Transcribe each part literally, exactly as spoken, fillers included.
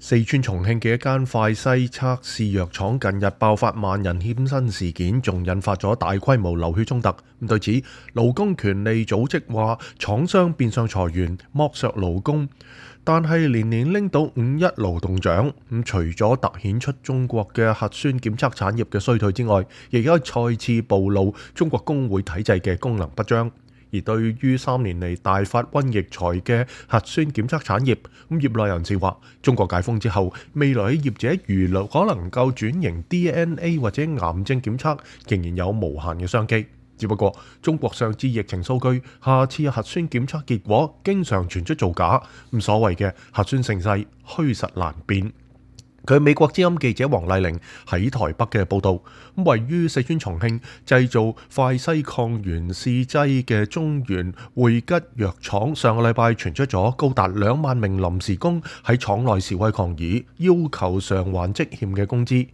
四川重慶嘅一間快篩測試藥廠近日爆發萬人欠薪事件，仲引發咗大規模流血衝突。咁對此，勞工權利組織話廠商變相裁員、剝削勞工，但係年年拎到五一勞動獎。咁除咗突顯出中國嘅核酸檢測產業嘅衰退之外，亦都再次暴露中國工會體制嘅功能不彰。而對於三年嚟大發瘟疫財嘅核酸檢測產業，咁業內人士話，中國解封之後，未來嘅業者如可能夠轉型 D N A 或者癌症檢測，仍然有無限嘅商機。只不過中國上次疫情數據，下次核酸檢測結果經常傳出造假，咁所謂嘅核酸盛世虛實難辨。佢美國之音記者黃麗玲喺台北嘅報導，位於四川重慶製造快篩抗原試劑嘅中原匯吉藥廠，上個禮拜傳出咗高達兩萬名臨時工喺廠內示威抗議，要求償還積欠嘅工資。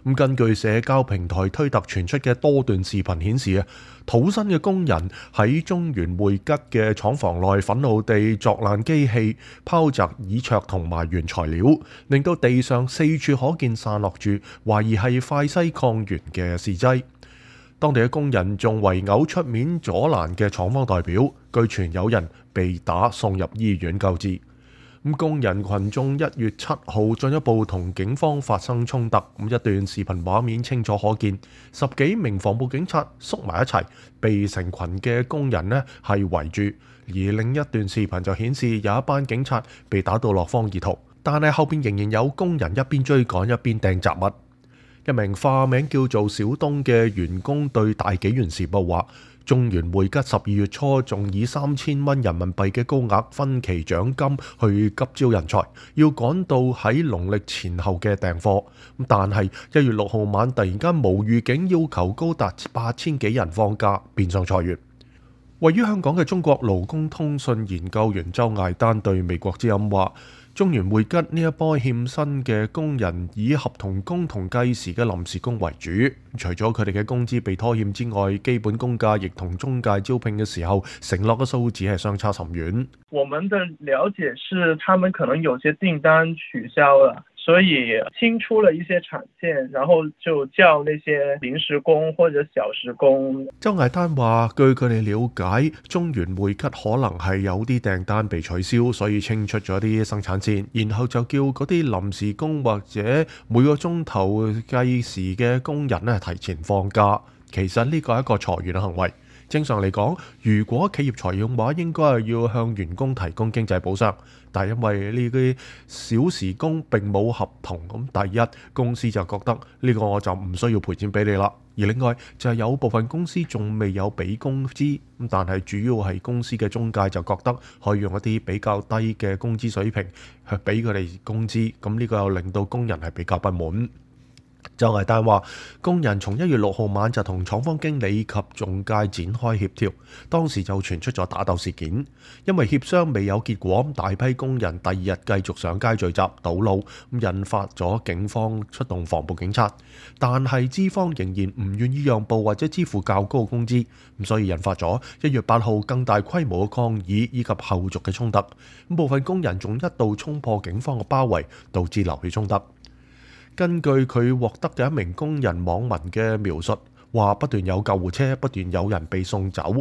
咁根據社交平台推特傳出嘅多段視頻顯示啊，土生嘅工人喺中原匯吉嘅廠房內憤怒地鑿爛機器、拋擲椅桌同埋原材料，令到地上四處可見散落住懷疑係快篩抗原嘅試劑。當地嘅工人仲圍毆出面阻攔嘅廠方代表，據傳有人被打送入醫院救治。咁工人群眾一月七號進一步同警方發生衝突，咁一段視頻畫面清楚可見，十幾名防暴警察縮埋一齊，被成群嘅工人呢係圍住。而另一段視頻就顯示有一班警察被打到落荒而逃，但係後邊仍然有工人一邊追趕一邊掟雜物。一名化名叫做小東嘅員工對大紀元時報話，中原匯吉十二月初仲以三千蚊人民幣嘅高額分期獎金去急招人才，要趕到喺農曆前後嘅訂貨。但係一月六號晚突然間無預警要求高達八千幾人放假，變相裁員。位於香港嘅中國勞工通訊研究員周艾丹對美國之音話，中原匯吉呢一波欠薪嘅工人以合同工同計時嘅臨時工為主，除咗佢哋嘅工資被拖欠之外，基本工價亦同中介招聘嘅時候承諾嘅數字係相差甚遠。我們的了解是，他們可能有些訂單取消了，所以清出了一些產線，然後就叫那些臨時工或者小時工。周艾丹話，據佢哋了解，中原匯吉可能係有啲訂單被取消，所以清出咗啲生產線，然後就叫嗰啲臨時工或者每個鐘頭計時嘅工人咧提前放假。其實呢個係一個裁員嘅行為。正常嚟講，如果企業裁員嘅話，應該係要向員工提供經濟補償。但係因為呢啲小時工並冇合同，咁第一公司就覺得呢個我就唔需要賠錢俾你啦。而另外就係有部分公司仲未有俾工資，咁但係主要係公司嘅中介就覺得可以用一啲比較低嘅工資水平去俾佢哋工資，咁呢個又令到工人係比較不滿。周艾丹話，工人從一月六號晚就同廠方經理及中介展開協調，當時就傳出咗打鬥事件，因為協商未有結果，大批工人第二日繼續上街聚集堵路，引發咗警方出動防暴警察，但係資方仍然唔願意讓步或者支付較高嘅工資，咁所以引發咗一月八號更大規模嘅抗議以及後續嘅衝突，咁部分工人仲一度衝破警方嘅包圍，導致流血衝突。根據佢獲得嘅一名工人網民嘅描述，話不斷有救護車，不斷有人被送走。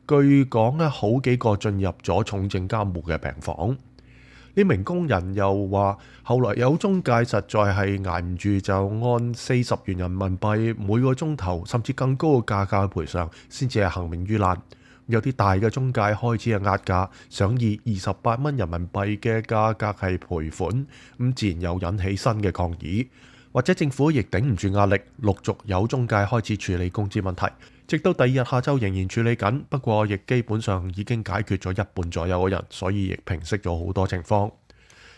據講咧，好幾個進入咗重症監護嘅病房。呢名工人又話，後來有中介實在係捱唔住，就按四十元人民幣每個鐘頭，甚至更高嘅價格賠償，先至係幸免於難。有啲大嘅中介開始係壓價，想以二十八蚊人民幣嘅價格係賠款，咁自然又引起新嘅抗議，或者政府亦頂唔住壓力，陸續有中介開始處理工資問題，直到第二日下晝仍然處理緊，不過亦基本上已經解決咗一半左右嘅人，所以亦平息咗好多情況。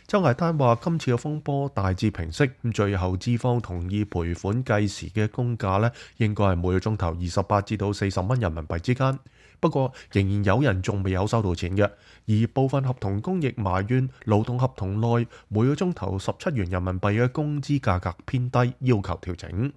周艾丹話，今次嘅風波大致平息，咁最後資方同意賠款計時嘅工價呢，應該係每個鐘頭二十八至到四十蚊人民幣之間。不過仍然有人仲未有收到錢嘅，而部分合同工亦埋怨勞動合同內每個鐘頭十七元人民幣嘅工資價格偏低，要求調整。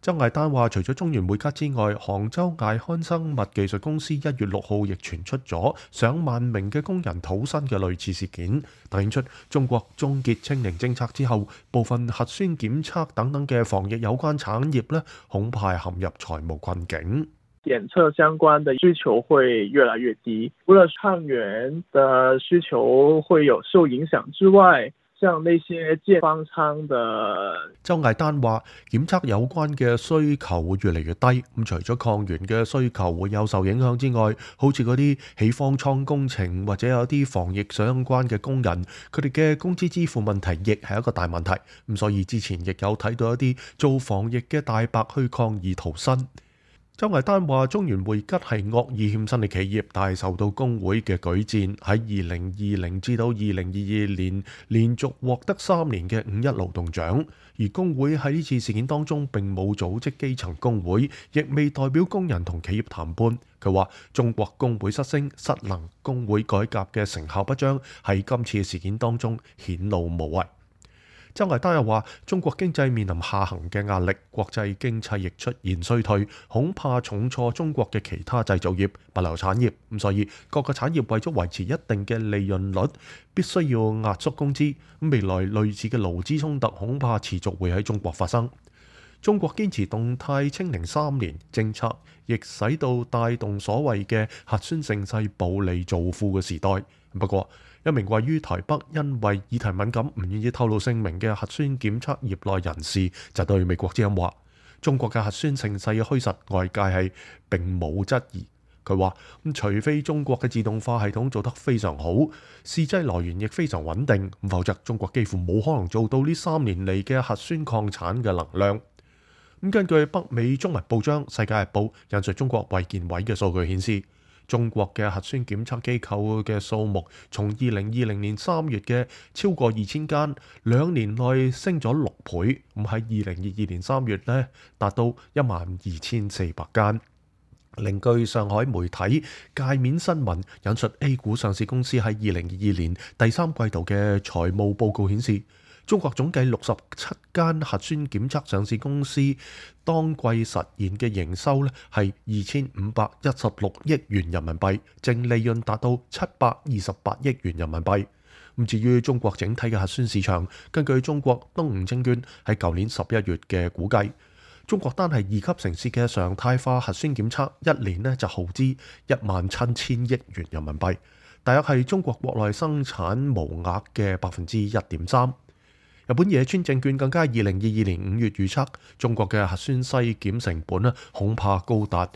周毅丹話，除咗中原匯吉之外，杭州艾康生物技術公司一月六號亦傳出咗上萬名嘅工人討薪嘅類似事件，突顯出中國終結清零政策之後，部分核酸檢測等等嘅防疫有關產業呢，恐怕陷入財務困境。檢測相關的需求會越來越低，除了抗原的需求會有受影響之外，像那些建方艙的，周毅丹話，檢測有關嘅需求會越嚟越低。咁除咗抗原嘅需求會有受影響之外，好似嗰啲起方艙工程或者有啲防疫相關嘅工人，佢哋嘅工資支付問題亦係一個大問題。咁所以之前亦有睇到一啲做防疫嘅大白去抗議討薪。周毅丹話，中原匯吉係惡意欠薪嘅企業，但係受到工會嘅舉薦，喺二零二零至到二零二二年連續獲得三年嘅五一勞動獎。而工會喺呢次事件當中並冇組織基層工會，亦未代表工人同企業談判。佢話中國工會失聲、失能，工會改革嘅成效不彰，喺今次嘅事件當中顯露無遺。周毅丹又話，中國經濟面臨下行嘅壓力，國際經濟亦出現衰退，恐怕重挫中國嘅其他製造業、物流產業。咁所以各個產業為咗維持一定嘅利潤率，必須要壓縮工資。咁未來類似嘅勞資衝突恐怕持續會喺中國發生。中國堅持動態清零三年政策，亦使到帶動所謂嘅核酸盛世暴利造富嘅時代。不過，一名位於台北因為議題敏感唔願意透露姓名嘅核酸檢測業內人士就對美國之音話：中國嘅核酸盛世嘅虛實，外界係並冇質疑。佢話：咁除非中國嘅自動化系統做得非常好，試劑來源亦非常穩定，否則中國幾乎冇可能做到呢三年嚟嘅核酸擴產嘅能量。咁根據北美中文報章《世界日報》引述中國衛健委嘅數據顯示，中國嘅核酸檢測機構嘅數目從二零二零年三月嘅超過二千間，兩年內升咗六倍。咁喺二零二二年三月呢，達到一萬二千四百間。另據上海媒體界面新聞引述 A 股上市公司喺二零二二年第三季度嘅財務報告顯示，中國總計六十七間核酸檢測上市公司當季實現嘅營收咧係二千五百一十六億元人民幣，淨利潤達到七百二十八億元人民幣。咁至於中國整體嘅核酸市場，根據中國東吳證券喺舊年十一月嘅估計，中國單係二級城市嘅常態化核酸檢測，一年呢就耗資一萬七千億元人民幣，大約係中國國內生產毛額嘅百分之一點三。日本野村證券更加二零二二年五月預測，中國嘅核酸篩檢成本呢恐怕高達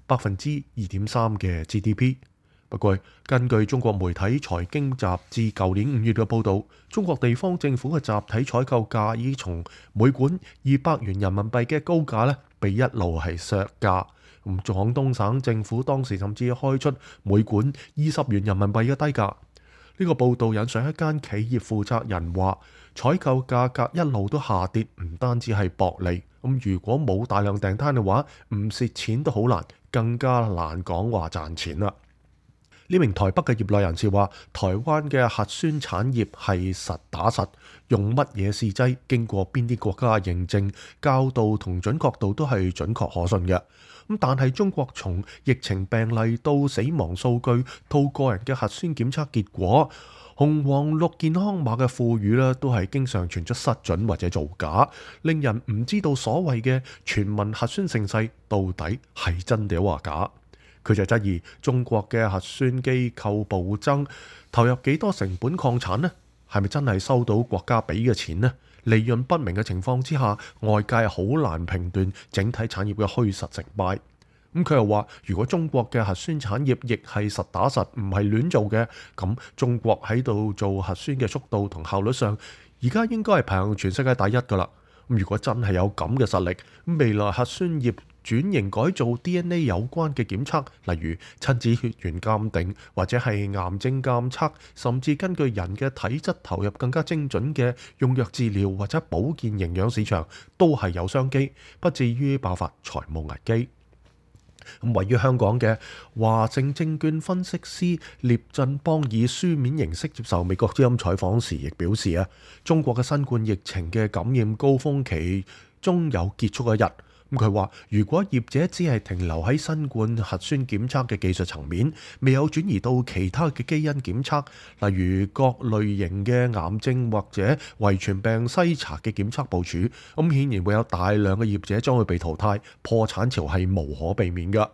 百分之二點三嘅 G D P。不過，根據中國媒體財經雜誌舊年五月嘅報導，中國地方政府嘅集體採購價已從每管二百元人民幣嘅高價呢，被一路係削價。咁廣東省政府當時甚至開出每管二十元人民幣嘅低價。呢個報導引上一間企業負責人話，採購價格一路都下跌，唔單止係薄利。咁如果冇大量訂單嘅話，唔蝕錢都好難，更加難講話賺錢啦。呢名台北嘅業內人士話，台灣嘅核酸產業係實打實，用乜嘢試劑，經過邊啲國家認證，校度同準確度都係準確可信嘅。咁但係中國從疫情病例到死亡數據到個人嘅核酸檢測結果，紅黃綠健康碼嘅賦予咧，都係經常傳出失準或者造假，令人唔知道所謂嘅全民核酸盛世到底係真定話假。佢就質疑中國嘅核酸機構暴增，投入幾多成本擴產呢？係咪真係收到國家俾嘅錢呢？利潤不明嘅情況之下，外界好難評斷整體產業嘅虛實成敗。咁佢又話，如果中國嘅核酸產業亦係實打實，唔係亂做嘅，咁中國喺度做核酸嘅速度同效率上，而家應該係排行全世界第一㗎喇。咁如果真係有咁嘅實力，未來核酸業轉型改造 D N A 有關嘅檢測，例如親子血緣鑑定或者係癌症監測，甚至根據人嘅體質投入更加精準嘅用藥治療或者保健營養市場，都係有商機，不至於爆發財務危機。咁位於香港嘅華盛證券分析師聶振邦以書面形式接受美國之音採訪時，亦表示啊，中國嘅新冠疫情嘅感染高峰期終有結束一日。咁佢話：如果業者只係停留喺新冠核酸檢測嘅技術層面，未有轉移到其他嘅基因檢測，例如各類型嘅癌症或者遺傳病篩查嘅檢測部署，咁顯然會有大量嘅業者將會被淘汰，破產潮係無可避免㗎。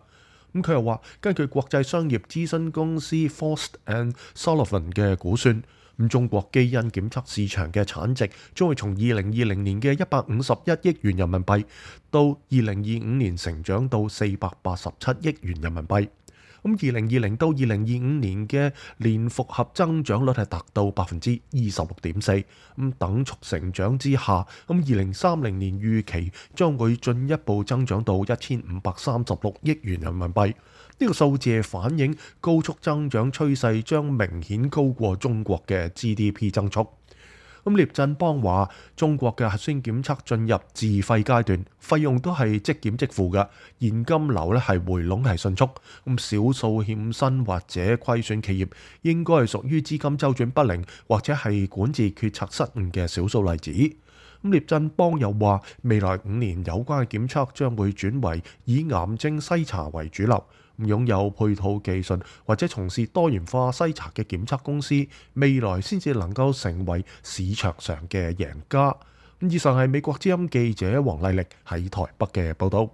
咁佢又話，根據國際商業諮詢公司 Frost and Sullivan 嘅估算，咁中國基因檢測市場嘅產值將會從二零二零年嘅一百五十一億元人民幣，到二零二五年成長到四百八十七億元人民幣。咁二零二零到二零二五年嘅年複合增長率係達到百分之二十六點四，咁等速成長之下，咁二零三零年預期將會進一步增長到一千五百三十六億元人民幣。呢個數字反映高速增長趨勢將明顯高過中國嘅 G D P 增速。咁聶振邦話：中國嘅核酸檢測進入自費階段，費用都係即檢即付嘅，現金流咧係回籠係迅速。咁少數欠薪或者虧損企業應該係屬於資金周轉不靈或者係管治決策失誤嘅少數例子。咁聶振邦又話：未來五年有關嘅檢測將會轉為以癌症篩查為主流。擁有配套技術或者從事多元化篩查嘅檢測公司，未來先至能夠成為市場上嘅贏家。以上係美國之音記者黃麗力喺台北嘅報導。